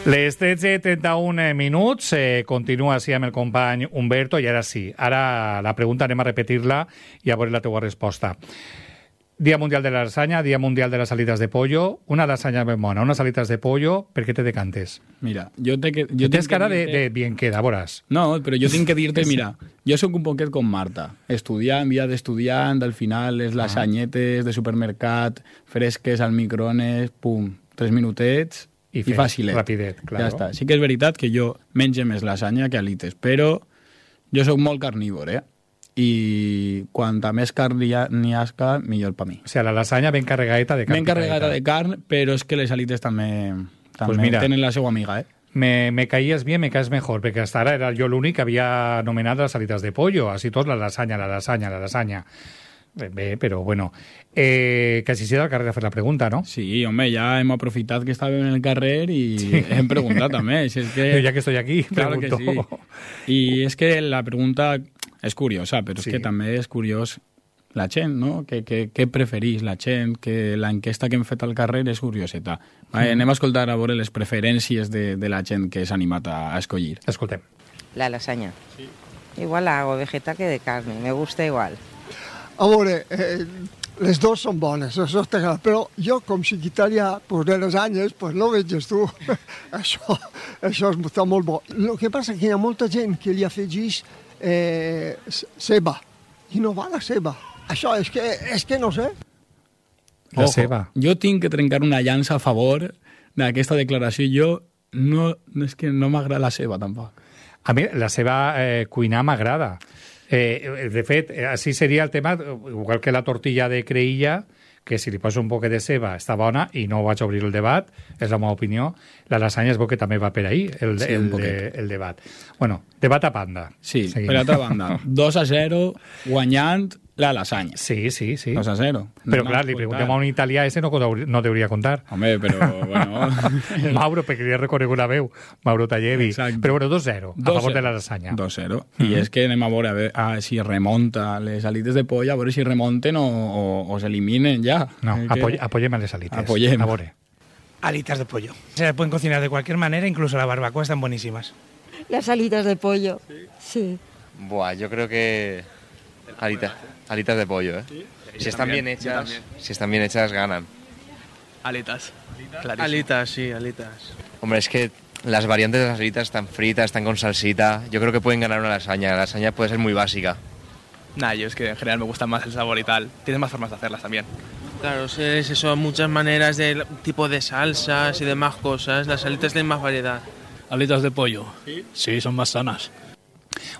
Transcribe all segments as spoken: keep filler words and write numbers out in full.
Les tretze i trenta-un minuts, eh, continua així amb el company Humberto, i ara sí, ara la pregunta anem a repetir-la i a veure la teua resposta. Día Mundial de la Lasaña, Día Mundial de las Alitas de Pollo, una lasaña ben bona, unes alitas de pollo, per què te decantes? Mira, jo te que... Jo Tens cara de, de bien queda, veuràs. No, però jo tinc que dir-te, mira, jo sóc un poquet com Marta, estudiant, vida d'estudiant, al final les lasanyetes de supermercat, fresques al microones, pum, tres minutets i, i fàcilet. Rapidet, clar. Ja està. Sí que és veritat que jo menge més lasanya que alites, però jo sóc molt carnívor, eh? I quanta més carn n'hi hasca, millor per mi. O sigui, la lasanya ben carregadeta de carn. Ben carregada de carn, però és que les alites també, també pues mira, tenen la seva amiga, eh? Me, me caías bien, me caes mejor, perquè hasta ara era jo l'únic que havia anomenat les alitas de pollo, així tot la lasanya, la lasanya, la lasanya. Bé, però bueno. Eh, que si sigui al carrer a fer la pregunta, no? Sí, home, ja hem aprofitat que estàvem en el carrer i sí. hem preguntat també. Si és que... Ja que estoy aquí, claro pregunto. Que sí. I és que la pregunta és curiosa, però és sí. que també és curiós la gent, no? Què, què, què preferís la gent? Que l'enquesta que hem fet al carrer és curioseta. Va, mm. Anem a escoltar a veure les preferències de, de la gent que s'ha animat a, a escollir. Escoltem. La lasaña. Sí. Igual la hago vegetal que de carne, me gusta igual. A veure, eh, les dues són bones, això està clar, però jo, com secretària pues, de les anyes, pues, no veges tu. això, això està molt bo. El que passa que hi ha molta gent que li afegeix eh, ceba, i no va la ceba. Això és que, és que no sé. La Ojo, ceba. Jo tinc que trencar una llança a favor d'aquesta declaració. Jo no, és que no m'agrada la ceba, tampoc. A mi la ceba eh, cuinar m'agrada. Eh, de fet, així seria el tema, igual que la tortilla de creïlla, que si li poso un poquet de ceba està bona i no vaig obrir el debat, és la meva opinió. La lasanya es veu que també va per ahí, el, sí, el, el, el debat. Bueno, debat a banda. Sí, Seguim. per altra banda, dos a zero guanyant la lasanya. Sí, sí, sí. dos a zero. Però clar, li preguntem a un italià, ese no, no deuria contar. Home, però, bueno... Mauro, perquè li he reconegut la veu, Mauro Tallevi. Exacte. Però bueno, dos a zero, a favor de la lasanya. dos a zero. Mm -hmm. I és que anem a veure a veure, a, si remonta les alites de polla, a veure si remonten o, o, o s'eliminen ja. No, que... apoy, apoyem a les alites. Apoyem. A veure. Alitas de pollo. Se pueden cocinar de cualquier manera, incluso la barbacoa están buenísimas. Las alitas de pollo, sí. sí. Buah, yo creo que alitas, alitas de pollo, ¿eh? Sí. Si están bien hechas, si están bien hechas ganan. Alitas. Alitas, alitas sí, alitas. Hombre, es que las variantes de las alitas están fritas, están con salsita. Yo creo que pueden ganar una lasaña. La lasaña puede ser muy básica. Nah, yo es que en general me gusta más el sabor y tal. Tienes más formas de hacerlas también. Claro, es eso, muchas maneras de tipo de salsas y demás cosas. Las alitas tienen más variedad. Alitas de pollo. Sí, sí, son más sanas.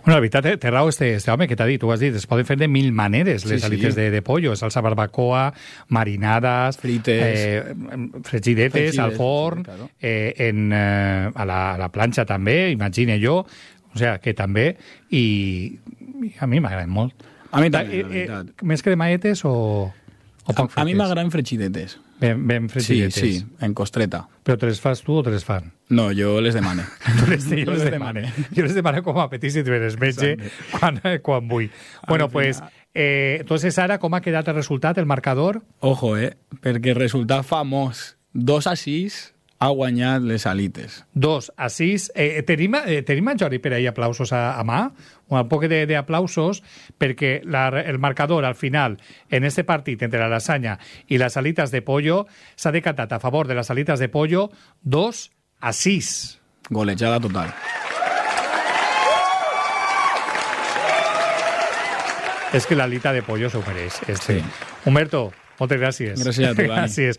Bueno, la veritat, té raó este, este home que t'ha dit, tu has dit, es poden fer de mil maneres les sí, alites sí. de, de pollo, salsa barbacoa, marinades, frites, eh, fregidetes, fregides, al forn, sí, claro. eh, en, eh, a, la, a la planxa també, imagine jo, o sea, que també, i, i a mi m'agraden molt. A mi també, eh, la veritat. Eh, més cremaetes o, o poc a, a mi m'agraden fregidetes. Ben, ben fregidetes. Sí, sí, en costreta. Però te les fas tu o te les fan? No, jo les demane. Tu les, jo les demane. Jo les demane com a petit si te les metge quan, quan vull. Bueno, doncs, pues, eh, entonces ara com ha quedat el resultat, el marcador? Ojo, eh, perquè el resultat famós, dos a sis, ha guanyat les alites. Dos a sis. Eh, tenim, eh, tenim en Jordi per ahí aplausos a, a mà? Un poc d'aplausos perquè la, el marcador al final en este partit entre la lasanya i les alitas de pollo s'ha decantat a favor de les alitas de pollo dos a sis. Golejada total. És que l'alita de pollo s'ho mereix. Este. Sí. Humberto, moltes gràcies. Gràcies a tu, Dani. Gràcies.